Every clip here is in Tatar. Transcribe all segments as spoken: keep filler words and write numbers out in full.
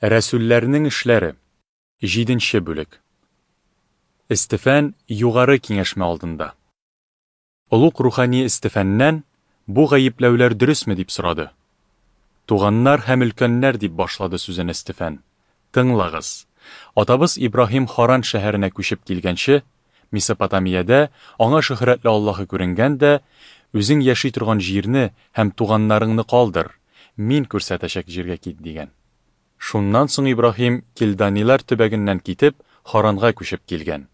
Рәсүлләрнең эшләре. Җиденче бүлек. Эстефән югары киңәшмә алдында. Олуг рухани Эстефәннән: "Бу гаепләүләр дөресме?" – дип сорады. "Туганнар һәм өлкәннәр, – дип башлады сүзен Эстефән, – тыңлагыз. Атабыз Ибраһим Харан шәһәренә күчеп килгәнче, Месопотамиядә аңа шөһрәтле Аллаһы күренгән дә: "Үзең яши торган җирне һәм туганнарыңны калдыр, мин күрсәтәчәк җиргә кит", – дигән. Шуннан соң Ибраһим Килданилар төбәгеннән китеп, Харанга күчеп килгән.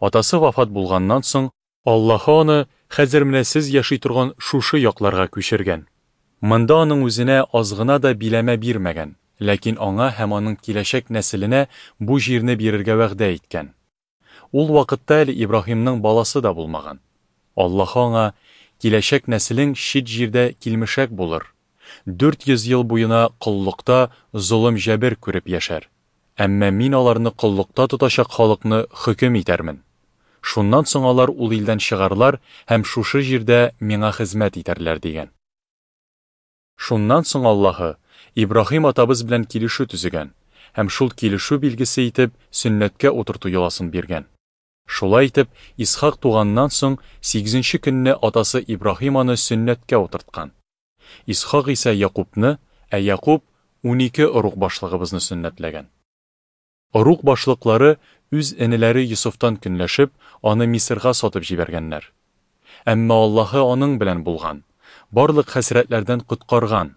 Атасы вафат булганнан соң, Аллаһы аны хәзер менә сез яши торган шушы якларга күчергән. Монда аның үзенә аз гына да биләмә бирмәгән, ләкин аңа һәм аның киләчәк нәселенә бу җирне бирергә вәгъдә иткән. Ул вакытта әле Ибраһимның баласы да булмаган. Аллаһы аңа: "Киләчәк нәселең чит җирдә килмешәк булыр. Дүрт йөз ел буена коллыкта золым-җәбер күреп яшәр. Әмма мин аларны коллыкта тотачак халыкны хөкем итәрмен. Шуннан соң алар ул илдән чыгарлар һәм шушы җирдә миңа хезмәт итәрләр", дигән. Шуннан соң Аллаһы Ибраһим атабыз белән килешү төзегән һәм шул килешү билгесе итеп сөннәткә утырту йоласын биргән. Шулай итеп, Исхак туганнан соң сигезенче көнне атасы Ибраһим аны сөннәткә утырткан. Исхак исә Якубны, ә Якуб унике ыруг башлыгыбызны сөннәтләгән. Ыруг башлыклары үз энеләре Йосыфтан көнләшеп, аны Мисырга сатып җибәргәннәр. Әмма Аллаһы аның белән булган, барлык хәсрәтләрдән коткарган.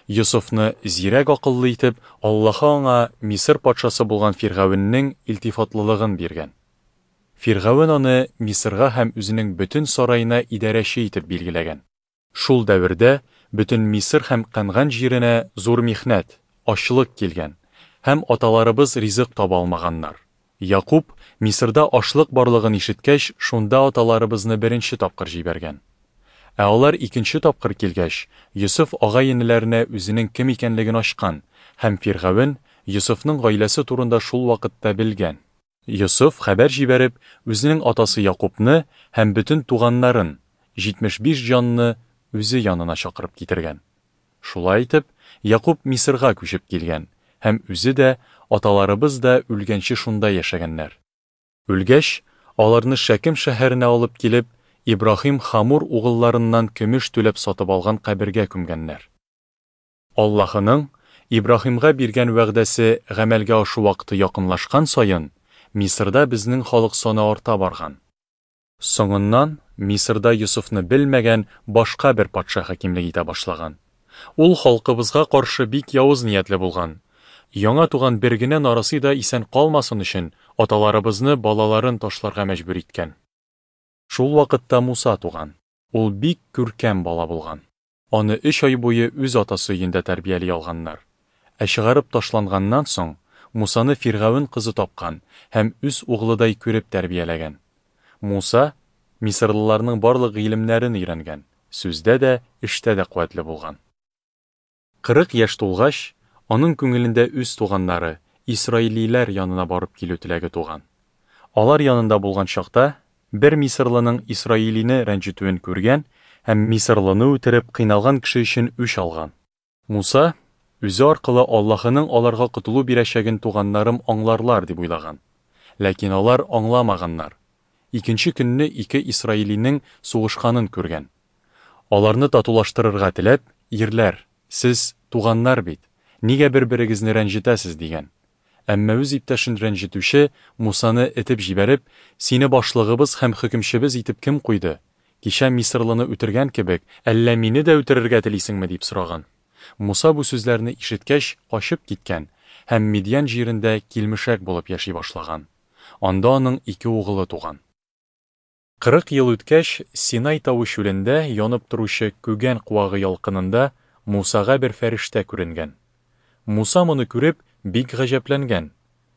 Йосыфны зирәк акыллы итеп, Аллаһы аңа Мисыр патшасы булган Фиргавеннең илтифатлылыгын биргән. Фиргавен аны Мисырга һәм үзенең бөтен сараена идарәче итеп билгеләгән. Шул дәвердә бөтен Мисыр һәм Кәнган җиренә зур михнәт, ачлык килгән, һәм аталарыбыз ризык таба алмаганнар. Якуб Мисырда ашлык барлыгын ишеткәч, шунда аталарыбызны беренче тапкыр җибәргән. Ә алар икенче тапкыр килгәч, Йосыф агай-энеләренә үзенең кем икәнлеген ачкан, һәм Фиргавен Йосыфның гаиләсе турында шул вакытта белгән. Йосыф хәбәр җибәреп, үзенең атасы Якубны һәм бөтен туганнарын, җитмеш биш җанны үзе янына чакырып китергән. Шулай итеп, Якуб Мисырга күчеп килгән һәм үзе дә, аталарыбыз да үлгәнче шунда яшәгәннәр. Үлгәч, аларны Шәкем шәһәренә алып килеп, Ибраһим Хамур угылларыннан көмеш түләп сатып алган кабергә күмгәннәр. Аллаһының Ибраһимга биргән вәгъдәсе гамәлгә ашу вакыты якынлашкан саен, Мисырда безнең халык саны арта барган. Соңыннан Мисырда Йосыфны белмәгән башка бер патша хакимлек итә башлаган. Ул халкыбызга каршы бик явыз ниятле булган. Яңа туган бер генә нарасый да исән калмасын өчен аталарыбызны балаларын ташларга мәҗбүр иткән. Шул вакытта Муса туган. Ул бик күркәм бала булган. Аны өч ай буе үз атасы өендә тәрбияли алганнар. Ә чыгарып ташланганнан соң Мусаны Фиргавен кызы тапкан һәм үз углыдай күреп тәрбияләгән. Муса мисырлыларның барлык гыйлемнәрен өйрәнгән, сүздә дә, эштә дә куәтле булган. Кырык яшь тулгач, аның күңелендә үз туганнары, исраилиләр янына барып килү теләге туган. Алар янында булган чакта бер мисырлының исраилине рәнҗетүен күргән һәм мисырлыны үтереп кыйналган кеше өчен үч алган. Муса үзе аркылы Аллаһының аларга котылу бирәчәген туганнарым аңларлар дип уйлаган. Ләкин алар аңламаганнар. Икенче көнне ике исраилинең сугышканын күргән. Аларны татулаштырырга теләп: "Ирләр, сез туганнар бит, нигә бер-берегезне рәнҗетәсез?" дигән. Әмма үз иптәшен рәнҗетүче Мусаны этеп җибәреп: "Сине башлыгыбыз һәм хөкемчебез итеп кем куйды? Кичә мисырлыны үтергән кебек, әллә мине дә үтерергә телисеңме?" дип сораган. Муса бу сүзләрне ишеткәч, качып киткән һәм Мидьян җирендә килмешәк булып яши башлаган. Анда аның ике угылы туган. Кырык ел үткәч, Синай тавы чүлендә янып торучы күгән куагы ялкынында Мусага бер фәрештә күренгән. Муса моны күреп, бик гаҗәпләнгән.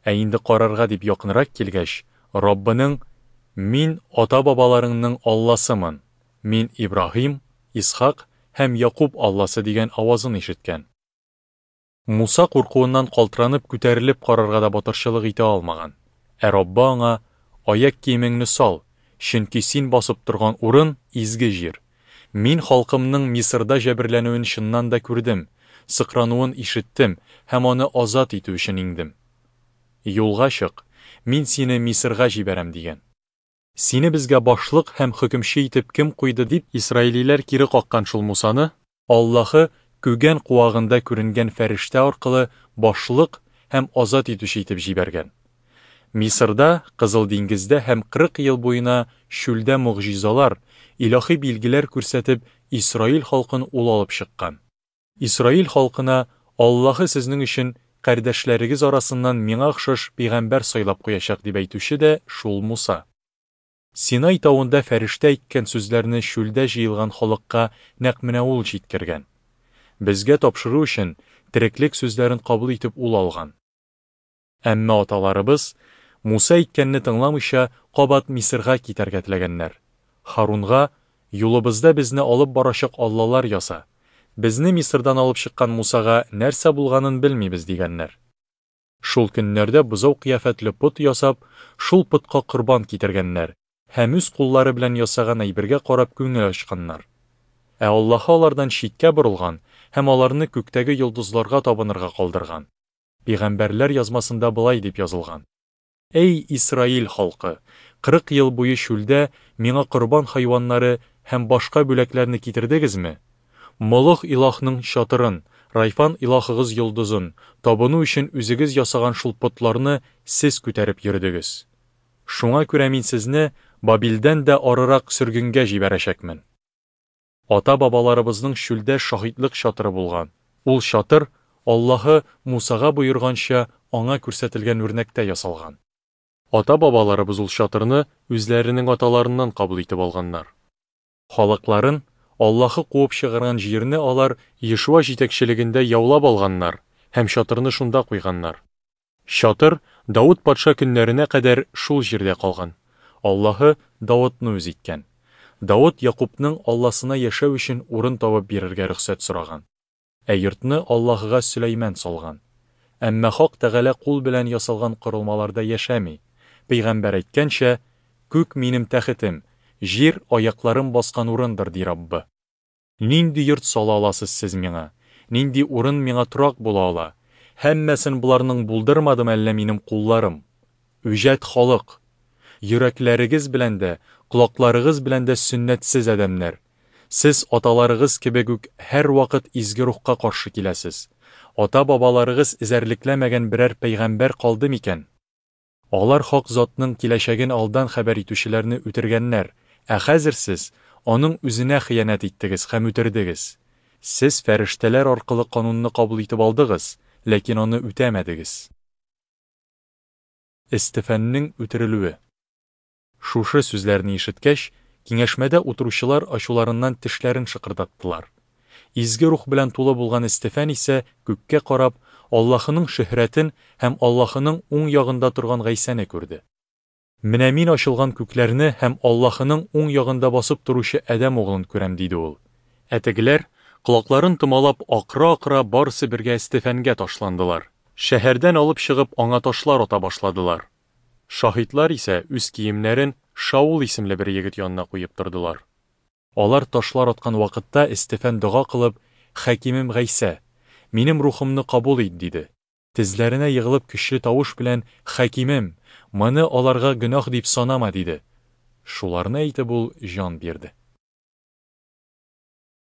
Ә инде карарга дип якынрак килгәч, Раббының: "Мин ата-бабаларыңның Алласымын, мин Ибраһим, Исхак һәм Якуб Алласы" дигән авазын ишеткән. Муса куркуыннан калтыранып күтәрелеп карарга да батырчылык итә алмаган. Ә Раббы аңа: "Аяк киемеңне сал, чөнки син басып торган урын изге җир. Мин халкымның Мисырда җәберләнүен чыннан да күрдем. сыкрануын ишеттем һәм аны азат итү өчен иңдем. Юлга чык, Мин сине Мисырга җибәрәм, дигән. Сине безгә башлык һәм хөкемче итеп кем куйды, дип исраилиләр кире каккан шул Мусаны Аллаһы күгән куагында күренгән фәрештә аркылы башлык һәм азат итүче итеп җибәргән. Мисырда, Кызыл диңгездә һәм кырык ел буена чүлдә могҗизалар, илаһи билгеләр күрсәтеп, Исраил халкын ул алып чыккан. Исраил халкына Аллаһы сезнең өчен кардәшләрегез арасыннан миңа охшаш пәйгамбәр сайлап куячак дип әйтүче дә шул Муса. Синай тавында фәрештә әйткән сүзләрне чүлдә җыелган халыкка нәкъ менә ул җиткергән. Безгә тапшыру өчен тереклек сүзләрен кабул итеп ул алган. Әмма аталарыбыз Муса әйткәнне тыңламыйча кабат Мисырга китәргә теләгәннәр. Харунга: "Юлыбызда безне алып барачак аллалар яса. Безне Мисырдан алып чыккан Мусага нәрсә булганын белмибез", дигәннәр. Шул көннәрдә бозау кыяфәтле пот ясап, шул потка корбан китергәннәр һәм үз куллары белән ясаган әйбергә карап күңел ачканнар. Ә Аллаһы алардан читкә борылган һәм аларны күктәге йолдызларга табынырга калдырган. Пәйгамбәрләр язмасында болай дип язылган: Эй, Исраил халкы, кырык ел буе чүлдә миңа корбан хайваннары һәм башка бүләкләрне китердегезме? Молох илаһның чатырын, Райфан илаһыгыз йолдызын, табыну өчен үзегез ясаган шул потларны сез күтәреп йөрдегез. Шуңа күрә мин сезне Бабилдән дә арырак сөргенгә җибәрәчәкмен. Ата-бабаларыбызның чүлдә шаһитлык чатыры булган. Ул чатыр Аллаһы Мусага боерганча аңа күрсәтелгән үрнәктә ясалган. Ата-бабаларыбыз ул чатырны үзләренең аталарыннан кабул итеп алганнар. Халыкларын Аллаһы куып чыгарган җирне алар Ешуа җитәкчелегендә яулап алганнар һәм чатырны шунда куйганнар. Чатыр Давыт патша көннәренә кадәр шул җирдә калган. Аллаһы Давытны үз иткән. Давыт Якубның Алласына яшәү өчен урын табып бирергә рөхсәт сораган. Ә йортны Аллаһыга Сөләйман салган. Әмма Хак Тәгалә кул белән ясалган корылмаларда яшәми. Пәйгамбәр әйткәнчә, күк минем тәхетем, җир аякларым баскан урындыр, ди Раббы. Нинди йорт сала аласыз сез миңа? Нинди урын миңа торак була ала? Һәммәсен буларның булдырмадым әллә минем кулларым? Үҗәт халык! Йөрәкләрегез белән дә, колакларыгыз белән дә сөннәтсез адәмнәр. Сез аталарыгыз кебек үк һәр вакыт изге рухка каршы киләсез. Ата-бабаларыгыз эзәрлекләмәгән берәр пәйгамбәр калды микән? Алар хак затның киләчәген алдан хәбәр итүчеләрне үтергәннәр, ә хәзер сез аның үзенә хыянәт иттегез һәм үтердегез. Сез фәрештәләр аркылы канунны кабул итеп алдыгыз, ләкин аны үтәмәдегез. Эстефәннең үтерелүе. Шушы сүзләрне ишеткәч, киңәшмәдә утыручылар ачуларыннан тешләрен шыкырдаттылар. Изге рух белән тулы булган Эстефән исә күккә карап, Аллаһының шөһрәтен һәм Аллаһының уң ягында торган Гайсәне күрде. Менә мин ачылган күкләрне һәм Аллаһының уң ягында басып торучы Адәм углын күрәм, диде ул. Ә тегеләр, колакларын томалап, акыра-акыра барысы бергә Эстефәнгә ташландылар. Шәһәрдән алып чыгып, аңа ташлар ата башладылар. Шаһитлар исә үз киемнәрен Шаул исемле бер егет янына куеп тордылар. Алар ташлар аткан вакытта Эстефән дога кылып, Хакимем Гайсә, минем рухымны кабул ит, диде. Тезләренә егылып көчле тавыш белән, Хакимем, моны аларга гөнаһ дип санама, диде. Шуларны әйтеп ул җан бирде.